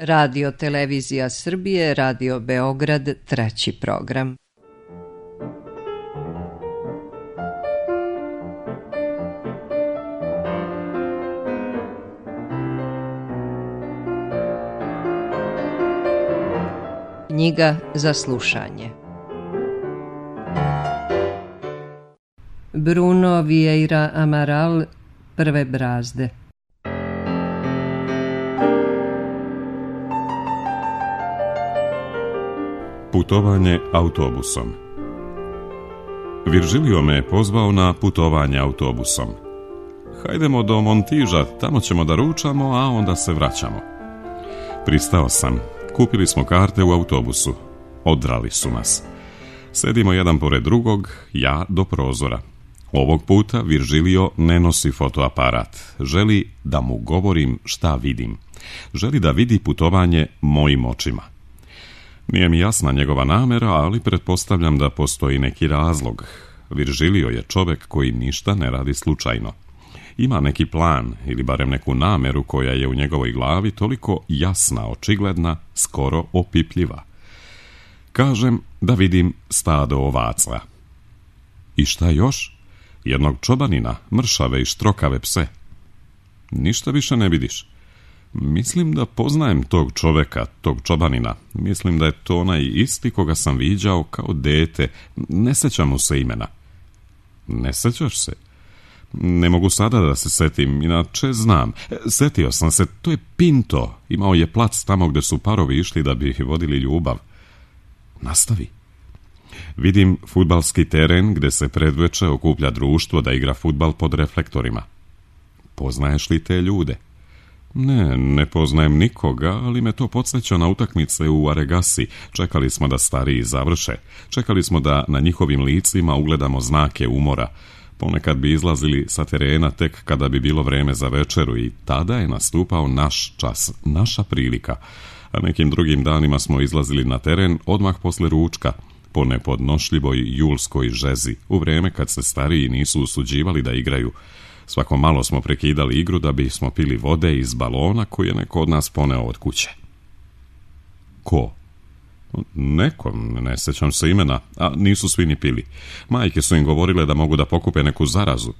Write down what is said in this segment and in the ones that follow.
Radio Televizija Srbije, Radio Beograd, 3. program. Knjiga za slušanje. Bruno Vieira Amaral, Prve brazde. Putovanje autobusom. Virgilio me je pozvao na putovanje autobusom. Hajdemo do Montiža, tamo ćemo da ručamo, a onda se vraćamo. Pristao sam. Kupili smo karte u autobusu. Odrali su nas. Sedimo jedan pored drugog, ja do prozora. Ovog puta Virgilio ne nosi fotoaparat. Želi da mu govorim šta vidim. Želi da vidi putovanje mojim očima. Nije mi jasna njegova namera, ali pretpostavljam da postoji neki razlog. Virgilio je čovjek koji ništa ne radi slučajno. Ima neki plan ili barem neku nameru koja je u njegovoj glavi toliko jasna, očigledna, skoro opipljiva. Kažem da vidim stado ovaca. I šta još? Jednog čobanina, mršave i štrokave pse. Ništa više ne vidiš. Mislim da poznajem tog čoveka, tog čobanina. Mislim da je to onaj isti koga sam viđao kao dete. Ne sećam mu se imena. Ne sećaš se? Ne mogu sada da se setim, inače znam. Setio sam se, to je Pinto. Imao je plac tamo gde su parovi išli da bi vodili ljubav. Nastavi. Vidim fudbalski teren gde se predveče okuplja društvo da igra fudbal pod reflektorima. Poznaješ li te ljude? Ne poznajem nikoga, ali me to podsjeća na utakmice u Aregasi. Čekali smo da stariji završe. Čekali smo da na njihovim licima ugledamo znake umora. Ponekad bi izlazili sa terena tek kada bi bilo vreme za večeru i tada je nastupao naš čas, naša prilika. A nekim drugim danima smo izlazili na teren odmah posle ručka, po nepodnošljivoj julskoj žezi, u vreme kad se stariji nisu usuđivali da igraju. Svako malo smo prekidali igru da bismo pili vode iz balona koji je neko od nas poneo od kuće. Ko? Neko, ne sećam se imena, a nisu svi ni pili. Majke su im govorile da mogu da pokupe neku zarazu.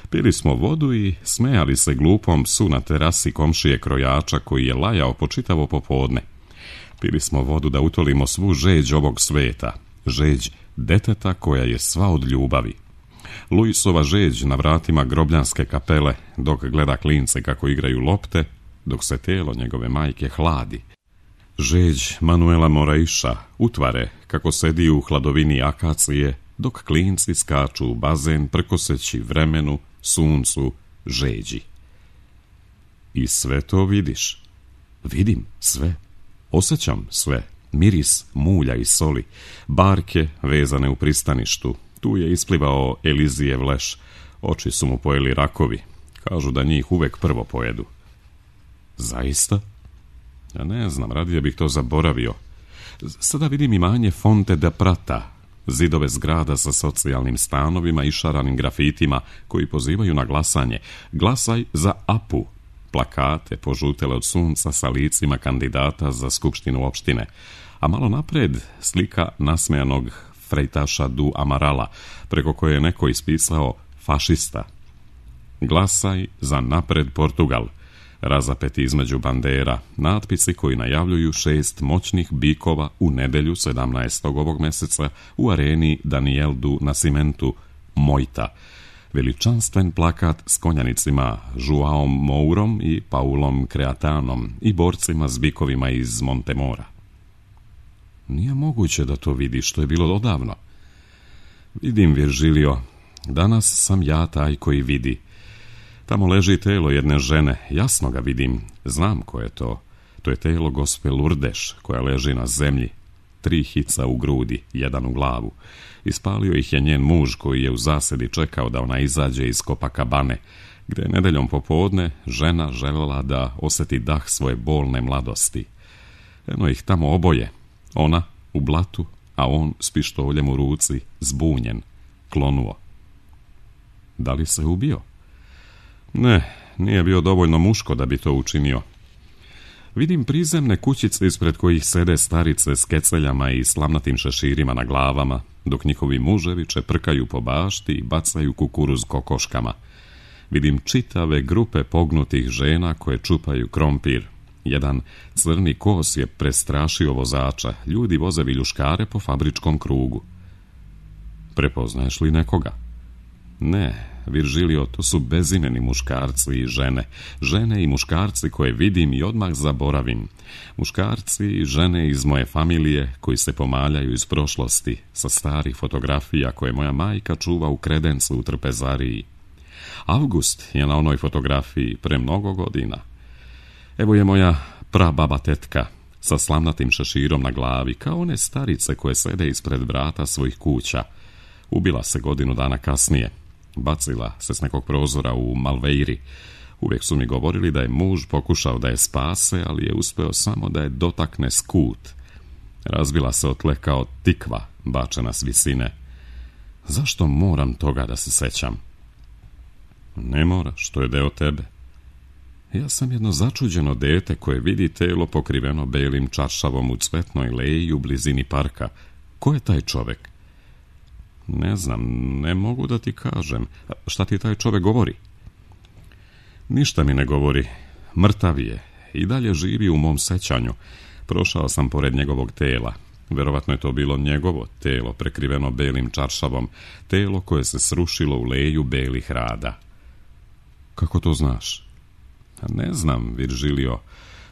Pili smo vodu i smejali se glupom psu na terasi komšije krojača koji je lajao po čitavo popodne. Pili smo vodu da utolimo svu žeđ ovog sveta, žeđ deteta koja je sva od ljubavi. Luisova žeđ na vratima grobljanske kapele dok gleda klince kako igraju lopte, dok se telo njegove majke hladi. Žeđ Manuela Moraiša utvare kako sedi u hladovini akacije dok klinci skaču u bazen prkoseći vremenu, suncu, žeđi. I sve to vidiš. Vidim sve. Osjećam sve. Miris mulja i soli. Barke vezane u pristaništu. Tu je isplivao Elizijev leš. Oči su mu pojeli rakovi. Kažu da njih uvek prvo pojedu. Zaista? Ja ne znam, radije bih to zaboravio. Sada vidim imanje Fonte da Prata, zidove zgrada sa socijalnim stanovima i šaranim grafitima koji pozivaju na glasanje. Glasaj za Apu. Plakate požutele od sunca sa licima kandidata za skupštinu opštine. A malo napred slika nasmejanog frejtaša Du Amarala, preko koje je neko ispisao fašista. Glasaj za Napred Portugal. Razapeti između bandera, natpisi koji najavljuju 6 moćnih bikova u nedelju 17. ovog meseca u areni Daniel du Nascimentu, Mojta. Veličanstven plakat s konjanicima Joaom Mourom i Paulom Creatanom i borcima s bikovima iz Montemora. Nije moguće da to vidiš, što je bilo odavno. Vidim, Virgilio, danas sam ja taj koji vidi. Tamo leži telo jedne žene, jasno ga vidim, znam ko je to. To je telo gospe Lurdeš, koja leži na zemlji, 3 hica u grudi, 1 u glavu. Ispalio ih je njen muž koji je u zasedi čekao da ona izađe iz Copacabane, gde je nedeljom popodne žena željela da osjeti dah svoje bolne mladosti. Eno ih tamo oboje, ona u blatu, a on s pištoljem u ruci, zbunjen, klonuo. Da li se ubio? Ne, nije bio dovoljno muško da bi to učinio. Vidim prizemne kućice ispred kojih sede starice s keceljama i slamnatim šeširima na glavama, dok njihovi muževi čeprkaju po bašti i bacaju kukuruz kokoškama. Vidim čitave grupe pognutih žena koje čupaju krompir. Jedan crni kos je prestrašio vozača. Ljudi voze viljuškare po fabričkom krugu. Prepoznaješ li nekoga? Ne, Viržilio, to su bezimeni muškarci i žene. Žene i muškarci koje vidim i odmah zaboravim. Muškarci i žene iz moje familije koji se pomaljaju iz prošlosti sa starih fotografija koje moja majka čuva u kredencu u trpezariji. Avgust je na onoj fotografiji pre mnogo godina. Evo je moja prababa tetka sa slamnatim šeširom na glavi, kao one starice koje sede ispred vrata svojih kuća. Ubila se godinu dana kasnije. Bacila se s nekog prozora u Malveiri. Uvijek su mi govorili da je muž pokušao da je spase, ali je uspeo samo da je dotakne skut. Razbila se o tle kao tikva bačena s visine. Zašto moram toga da se sećam? Ne moraš, to je deo tebe. Ja sam jedno začuđeno dete koje vidi telo pokriveno belim čaršavom u cvetnoj leji u blizini parka. Ko je taj čovek? Ne znam, ne mogu da ti kažem. Šta ti taj čovek govori? Ništa mi ne govori. Mrtav je. I dalje živi u mom sećanju. Prošao sam pored njegovog tela. Verovatno je to bilo njegovo telo prekriveno belim čaršavom. Telo koje se srušilo u leju belih rada. Kako to znaš? Ne znam, Viržilio.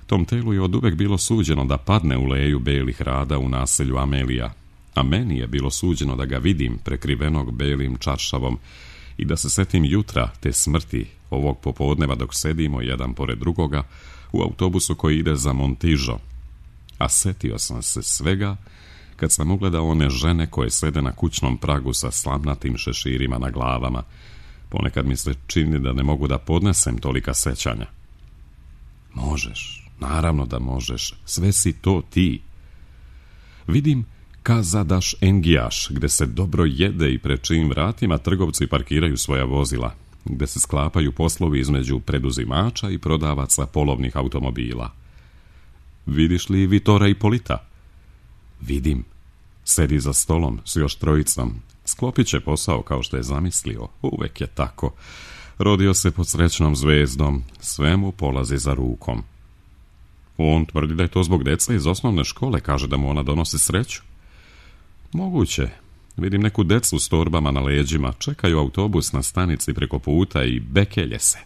Tom telu je oduvek bilo suđeno da padne u leju belih rada u naselju Amelija. A meni je bilo suđeno da ga vidim prekrivenog belim čaršavom i da se setim jutra te smrti ovog popodneva dok sedimo jedan pored drugoga u autobusu koji ide za Montižo. A setio sam se svega kad sam ugledao one žene koje sede na kućnom pragu sa slamnatim šeširima na glavama. Ponekad mi se čini da ne mogu da podnesem tolika sećanja. Možeš, naravno da možeš, sve si to ti. Vidim Kazadaš Engijaš, gde se dobro jede i pred čijim vratima trgovci parkiraju svoja vozila, gde se sklapaju poslovi između preduzimača i prodavaca polovnih automobila. Vidiš li Vitora Ipolita? Vidim. Sedi za stolom s još trojicom. Sklopit će posao kao što je zamislio. Uvek je tako. Rodio se pod srećnom zvezdom. Sve mu polazi za rukom. On tvrdi da je to zbog deca iz osnovne škole. Kaže da mu ona donosi sreću. Moguće. Vidim neku decu s torbama na leđima. Čekaju autobus na stanici preko puta i bekelje se.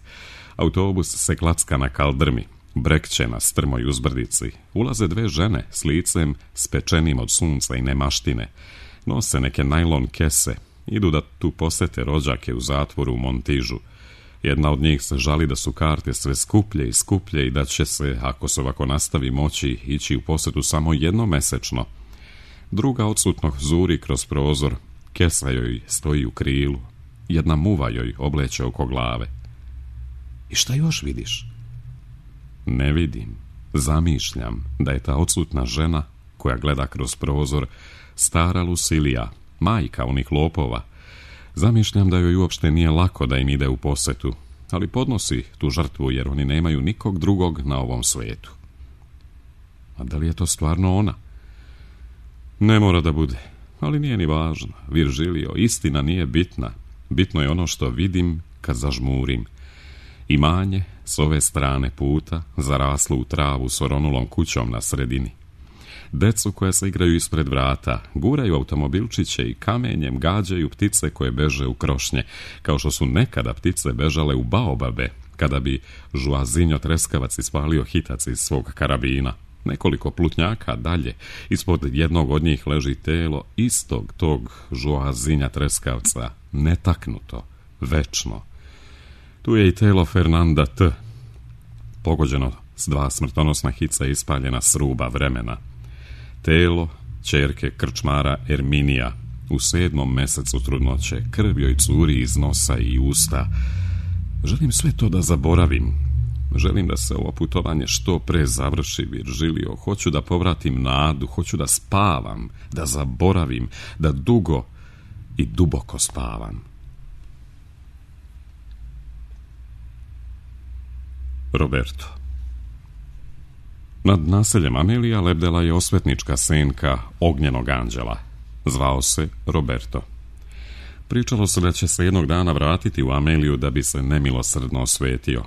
Autobus se klacka na kaldrmi. Brekće na strmoj uzbrdici. Ulaze dve žene s licem spečenim od sunca i nemaštine. Nose neke najlon kese. Idu da tu posete rođake u zatvoru u Montižu. Jedna od njih se žali da su karte sve skuplje i skuplje i da će se, ako se ovako nastavi, moći ići u posetu samo jednomesečno. Druga odsutno zuri kroz prozor. Kesa joj stoji u krilu. Jedna muva joj obleće oko glave. I šta još vidiš? Ne vidim. Zamišljam da je ta odsutna žena koja gleda kroz prozor stara Lucilija, majka onih lopova. Zamišljam da joj uopšte nije lako da im ide u posetu, ali podnosi tu žrtvu jer oni nemaju nikog drugog na ovom svetu. A da li je to stvarno ona? Ne mora da bude, ali nije ni važno. Viržilio, istina nije bitna. Bitno je ono što vidim kad zažmurim. Imanje s ove strane puta zaraslo u travu s oronulom kućom na sredini. Decu koja se igraju ispred vrata, guraju automobilčiće i kamenjem gađaju ptice koje beže u krošnje, kao što su nekada ptice bežale u baobabe, kada bi Žuazinjo Treskavac ispalio hitac iz svog karabina. Nekoliko plutnjaka dalje, ispod jednog od njih leži telo istog tog Žuazinja Treskavca, netaknuto, večno. Tu je i telo Fernanda T., pogođeno s 2 smrtonosna hica ispaljena s ruba vremena. Telo ćerke krčmara Erminija u 7. mesecu trudnoće, krv joj curi iz nosa i usta. Želim sve to da zaboravim. Želim da se ovo putovanje što pre završi, Viržilio. Hoću da povratim nadu, hoću da spavam, da zaboravim, da dugo i duboko spavam. Roberto. Nad naseljem Amelija lebdela je osvetnička senka ognjenog anđela. Zvao se Roberto. Pričalo se da će se jednog dana vratiti u Ameliju da bi se nemilosrdno osvetio.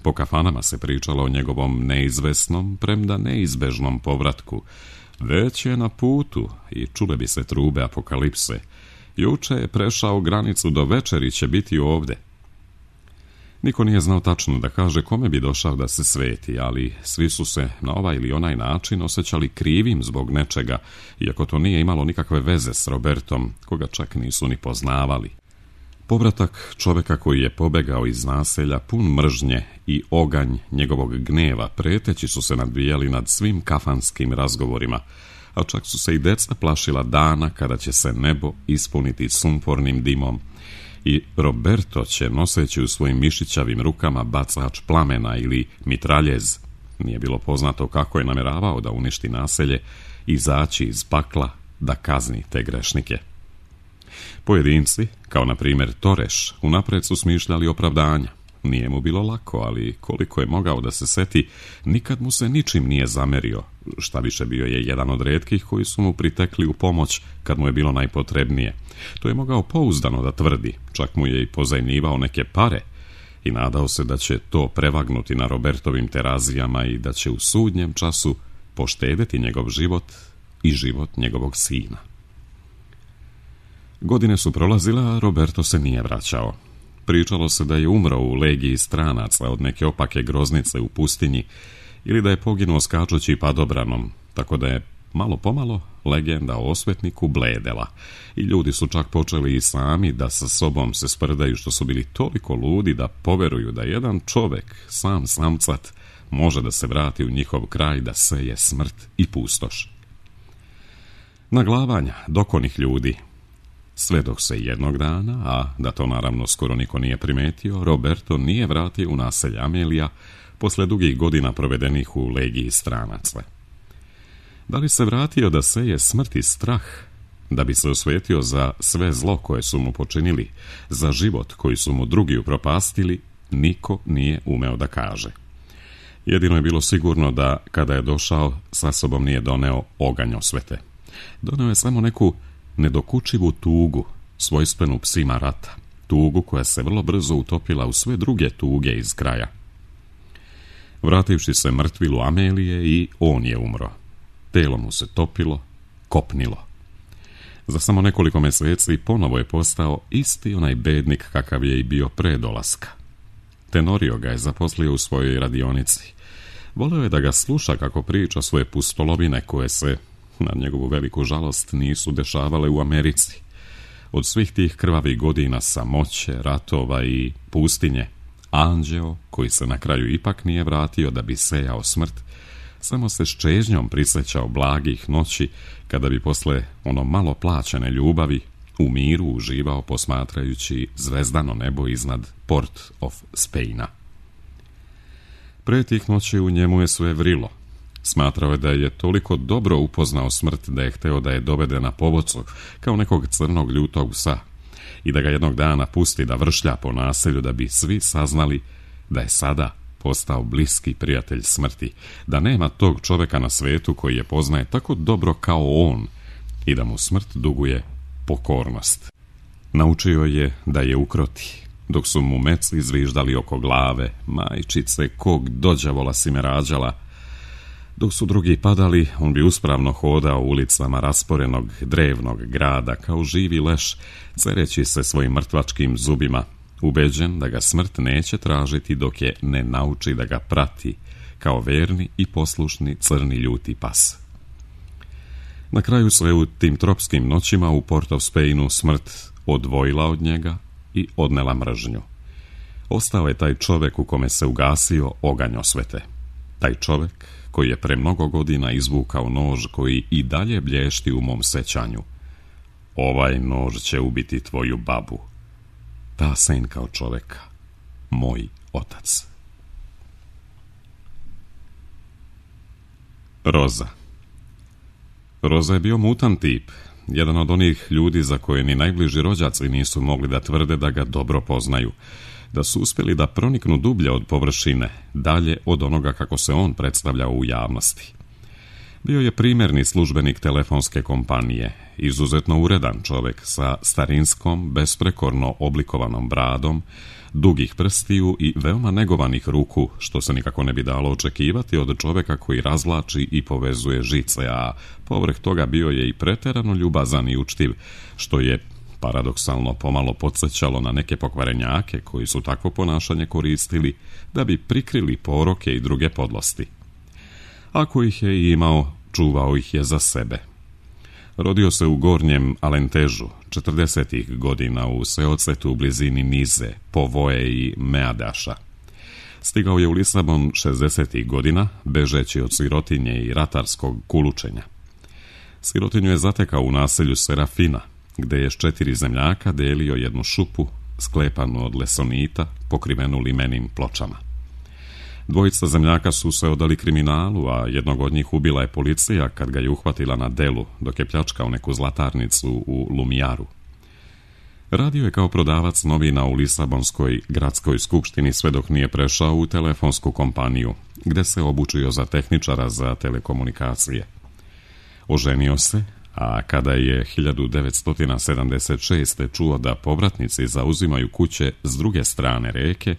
Po kafanama se pričalo o njegovom neizvesnom, premda neizbežnom povratku. Već je na putu i čule bi se trube apokalipse. Juče je prešao granicu, do večeri će biti ovde. Niko nije znao tačno da kaže kome bi došao da se sveti, ali svi su se na ovaj ili onaj način osjećali krivim zbog nečega, iako to nije imalo nikakve veze s Robertom, koga čak nisu ni poznavali. Povratak čoveka koji je pobegao iz naselja, pun mržnje i oganj njegovog gneva, preteći su se nadvijali nad svim kafanskim razgovorima, a čak su se i deca plašila dana kada će se nebo ispuniti sumpornim dimom i Roberto će, noseći u svojim mišićavim rukama bacač plamena ili mitraljez, nije bilo poznato kako je nameravao da uništi naselje, izaći iz pakla da kazni te grešnike. Pojedinci, kao na primjer Toreš, unapred su smišljali opravdanja. Nije mu bilo lako, ali koliko je mogao da se seti, nikad mu se ničim nije zamerio. Šta više, bio je jedan od retkih koji su mu pritekli u pomoć kad mu je bilo najpotrebnije. To je mogao pouzdano da tvrdi, čak mu je i pozajmljivao neke pare i nadao se da će to prevagnuti na Robertovim terazijama i da će u sudnjem času poštedeti njegov život i život njegovog sina. Godine su prolazile, a Roberto se nije vraćao. Pričalo se da je umro u legiji stranaca od neke opake groznice u pustinji ili da je poginuo skačući padobranom, tako da je malo pomalo legenda o osvetniku bledela i ljudi su čak počeli i sami da sa sobom se sprdaju što su bili toliko ludi da poveruju da jedan čovek, sam samcat, može da se vrati u njihov kraj da seje smrt i pustoš. Naglavanja dokonih ljudi. Sve dok se jednog dana, a da to naravno skoro niko nije primetio, Roberto nije vratio u naselje Amelija posle dugih godina provedenih u legiji stranaca. Da li se vratio da seje smrt i strah, da bi se osvetio za sve zlo koje su mu počinili, za život koji su mu drugi upropastili, niko nije umeo da kaže. Jedino je bilo sigurno da, kada je došao, sa sobom nije doneo oganj osvete. Doneo je samo neku nedokučivu tugu, svojstvenu psima rata, tugu koja se vrlo brzo utopila u sve druge tuge iz kraja. Vrativši se mrtvilu Amelije, i on je umro. Telo mu se topilo, kopnilo. Za samo nekoliko meseci ponovo je postao isti onaj bednik kakav je i bio pre dolaska. Tenorio ga je zaposlio u svojoj radionici. Voleo je da ga sluša kako priča svoje pustolovine koje se, na njegovu veliku žalost, nisu dešavale u Americi. Od svih tih krvavih godina samoće, ratova i pustinje, anđeo, koji se na kraju ipak nije vratio da bi sejao smrt, samo se s čežnjom prisjećao blagih noći kada bi posle ono malo plaćene ljubavi u miru uživao posmatrajući zvezdano nebo iznad Port of Spaina. Pre tih noći u njemu je sve vrilo. Smatrao je da je toliko dobro upoznao smrt da je hteo da je dovede na povodcu kao nekog crnog ljutog psa i da ga jednog dana pusti da vršlja po naselju da bi svi saznali da je sada postao bliski prijatelj smrti, da nema tog čoveka na svetu koji je poznaje tako dobro kao on i da mu smrt duguje pokornost. Naučio je da je ukroti, dok su mu meci zviždali oko glave, majčice, kog dođavola si me rađala. Dok su drugi padali, on bi uspravno hodao ulicama rasporenog drevnog grada kao živi leš, cereći se svojim mrtvačkim zubima, ubeđen da ga smrt neće tražiti dok je ne nauči da ga prati, kao verni i poslušni crni ljuti pas. Na kraju sve u tim tropskim noćima u Port of Spainu smrt odvojila od njega i odnela mržnju. Ostao je taj čovek u kome se ugasio oganj osvete. Taj čovek koji je pre mnogo godina izvukao nož koji i dalje blješti u mom sećanju. Ovaj nož će ubiti tvoju babu. Ta senka od čoveka, moj otac. Roza. Roza je bio mutan tip. jedan od onih ljudi za koje ni najbliži rođaci nisu mogli da tvrde da ga dobro poznaju, da su uspjeli da proniknu dublje od površine, dalje od onoga kako se on predstavljao u javnosti. Bio je primjerni službenik telefonske kompanije, izuzetno uredan čovjek sa starinskom, besprekorno oblikovanom bradom, dugih prstiju i veoma negovanih ruku, što se nikako ne bi dalo očekivati od čovjeka koji razvlači i povezuje žice, a povrh toga bio je i preterano ljubazan i učtiv, što je paradoksalno pomalo podsjećalo na neke pokvarenjake koji su takvo ponašanje koristili da bi prikrili poroke i druge podlosti. Ako ih je imao, čuvao ih je za sebe. Rodio se u Gornjem Alentežu, 40. godina u seocetu u blizini Nize, Povoje i Meadaša. Stigao je u Lisabon 60. godina, bežeći od sirotinje i ratarskog kulučenja. Sirotinju je zatekao u naselju Serafina, gde je s 4 zemljaka delio jednu šupu, sklepanu od lesonita, pokrivenu limenim pločama. Dvojica zemljaka su se odali kriminalu, a jednog od njih ubila je policija kad ga je uhvatila na delu, dok je pljačkao neku zlatarnicu u Lumijaru. Radio je kao prodavac novina u Lisabonskoj gradskoj skupštini sve dok nije prešao u telefonsku kompaniju, gde se obučio za tehničara za telekomunikacije. Oženio se, a kada je 1976. čuo da povratnici zauzimaju kuće s druge strane reke,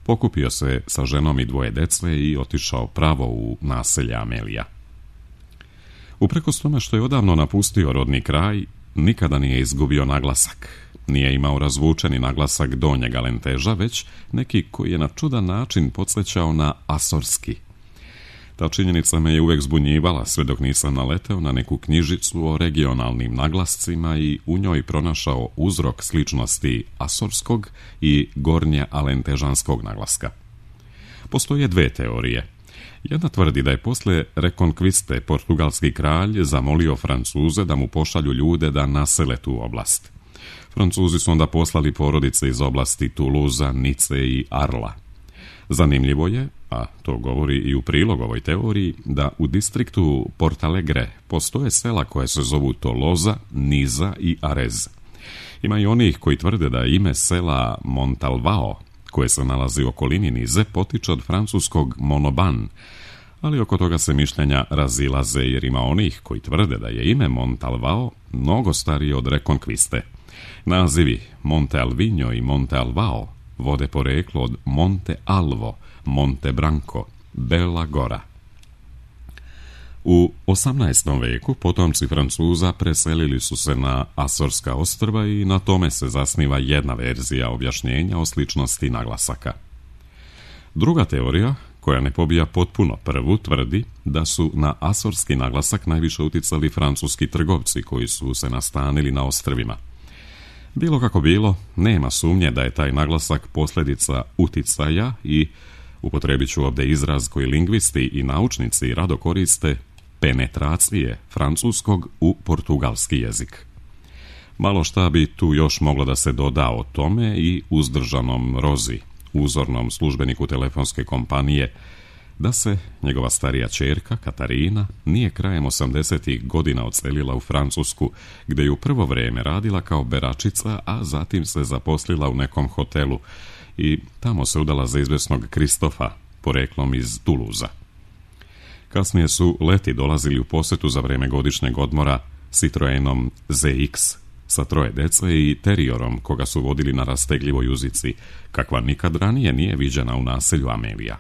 pokupio se sa ženom i 2 dece i otišao pravo u naselje Amelija. Uprkos tome što je odavno napustio rodni kraj, nikada nije izgubio naglasak. Nije imao razvučeni naglasak Donjeg Alenteža, već neki koji je na čudan način podsjećao na asorski. Ta činjenica me je uvek zbunjivala sve dok nisam naleteo na neku knjižicu o regionalnim naglascima i u njoj pronašao uzrok sličnosti asorskog i gornje alentežanskog naglaska. Postoje 2 teorije. Jedna tvrdi da je posle rekonkviste portugalski kralj zamolio Francuze da mu pošalju ljude da nasele tu oblast. Francuzi su onda poslali porodice iz oblasti Tuluza, Nice i Arla. Zanimljivo je, a to govori i u prilog ovoj teoriji, da u distriktu Portalegre postoje sela koje se zovu Toloza, Niza i Arez. Ima i onih koji tvrde da ime sela Montalvao, koje se nalazi u okolini Nize, potiče od francuskog Monoban, ali oko toga se mišljenja razilaze jer ima onih koji tvrde da je ime Montalvao mnogo starije od rekonkviste. Nazivi Monte Alvinho i Monte Alvao vode poreklo od Monte Alvo, Monte Branco, Bela Gora. U 18. veku potomci Francuza preselili su se na Asorska ostrva i na tome se zasniva jedna verzija objašnjenja o sličnosti naglasaka. Druga teorija, koja ne pobija potpuno prvu, tvrdi da su na asorski naglasak najviše uticali francuski trgovci koji su se nastanili na ostrvima. Bilo kako bilo, nema sumnje da je taj naglasak posljedica uticaja i, upotrebit ću ovdje izraz koji lingvisti i naučnici rado koriste, penetracije francuskog u portugalski jezik. Malo šta bi tu još moglo da se doda o tome i uzdržanom Rozi, uzornom službeniku telefonske kompanije, da se njegova starija ćerka, Katarina, nije krajem 80. godina odselila u Francusku, gdje je u prvo vrijeme radila kao beračica, a zatim se zaposlila u nekom hotelu i tamo se udala za izvesnog Kristofa, poreklom iz Tuluza. Kasnije su leti dolazili u posjetu za vrijeme godišnjeg odmora Citroenom ZX sa 3 dece i teriorom koga su vodili na rastegljivoj uzici, kakva nikad ranije nije viđena u naselju Amelija.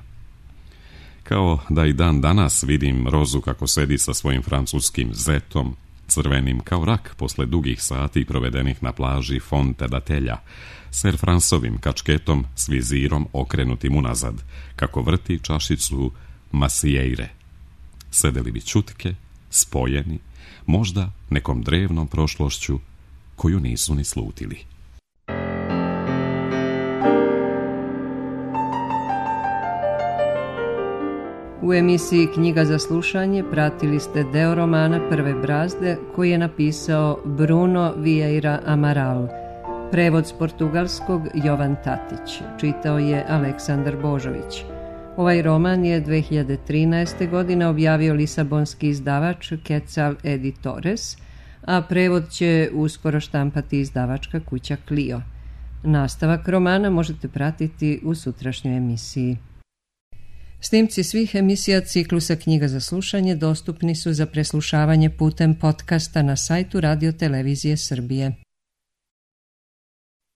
Kao da i dan danas vidim Rozu kako sedi sa svojim francuskim zetom, crvenim kao rak posle dugih sati provedenih na plaži Fonte da Telja, Ser Fransovim kačketom s vizirom okrenutim unazad, kako vrti čašicu Masieire. Sedeli bi čutke, spojeni, možda nekom drevnom prošlošću koju nisu ni slutili. U emisiji Knjiga za slušanje pratili ste deo romana Prve brazde koji je napisao Bruno Vieira Amaral. Prevod s portugalskog Jovan Tatić. Čitao je Aleksandar Božović. Ovaj roman je 2013. godine objavio lisabonski izdavač Quetzal Editores, a prevod će uskoro štampati izdavačka kuća Clio. Nastavak romana možete pratiti u sutrašnjoj emisiji. Snimci svih emisija ciklusa Knjiga za slušanje dostupni su za preslušavanje putem podcasta na sajtu Radio Televizije Srbije.